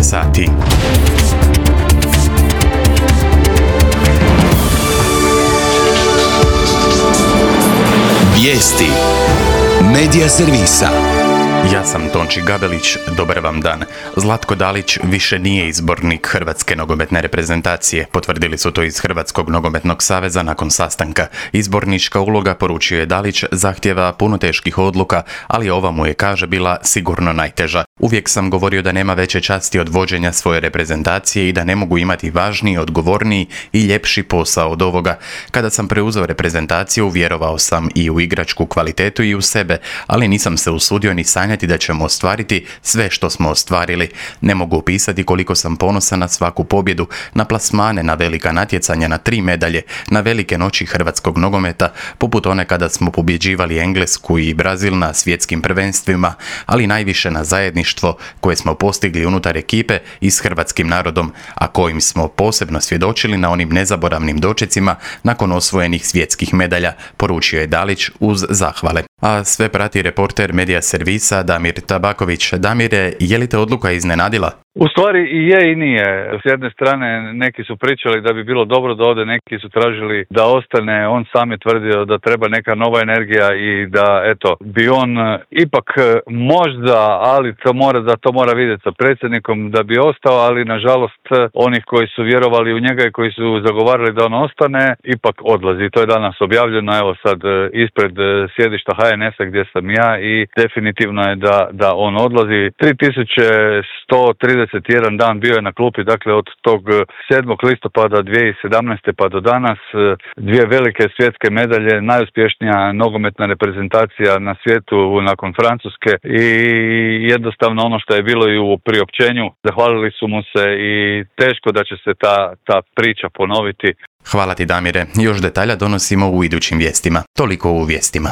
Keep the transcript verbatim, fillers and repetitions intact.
je sati. Vijesti Medija servisa. Ja sam Tonči Gabelić, dobar vam dan. Zlatko Dalić više nije izbornik Hrvatske nogometne reprezentacije, potvrdili su to iz Hrvatskog nogometnog saveza nakon sastanka. Izbornička uloga, poručio je Dalić, zahtjeva puno teških odluka, ali ova mu je, kaže, bila sigurno najteža. Uvijek sam govorio da nema veće časti od vođenja svoje reprezentacije i da ne mogu imati važniji, odgovorniji i ljepši posao od ovoga. Kada sam preuzeo reprezentaciju, vjerovao sam i u igračku kvalitetu i u sebe, ali nisam se usudio ni sanjati da ćemo ostvariti sve što smo ostvarili. Ne mogu opisati koliko sam ponosan na svaku pobjedu, na plasmane, na velika natjecanja, na tri medalje, na velike noći hrvatskog nogometa, poput one kada smo pobjeđivali Englesku i Brazil na svjetskim prvenstvima, ali najviše na zajedništvo koje smo postigli unutar ekipe i s hrvatskim narodom, a kojim smo posebno svjedočili na onim nezaboravnim dočecima nakon osvojenih svjetskih medalja, poručio je Dalić uz zahvale. A sve prati reporter Medija servisa Damir Tabaković. Damire, je li te odluka iznenadila? U stvari i je i nije. S jedne strane neki su pričali da bi bilo dobro da ode, neki su tražili da ostane. On sam je tvrdio da treba neka nova energija i da eto bi on ipak možda, ali to mora, da to mora vidjeti sa predsjednikom da bi ostao, ali nažalost onih koji su vjerovali u njega i koji su zagovarali da on ostane ipak odlazi. To je danas objavljeno, evo sad ispred sjedišta H N S-a gdje sam ja, i definitivno je da, da on odlazi. tri tisuće sto trideset jedan dan bio je na klupi, dakle od tog sedmog listopada dvije tisuće sedamnaeste pa do danas, dvije velike svjetske medalje, najuspješnija nogometna reprezentacija na svijetu nakon Francuske, i jednostavno ono što je bilo i u priopćenju, zahvalili su mu se i teško da će se ta, ta priča ponoviti. Hvala ti, Damire. Još detalja donosimo u idućim vijestima. Toliko u vijestima.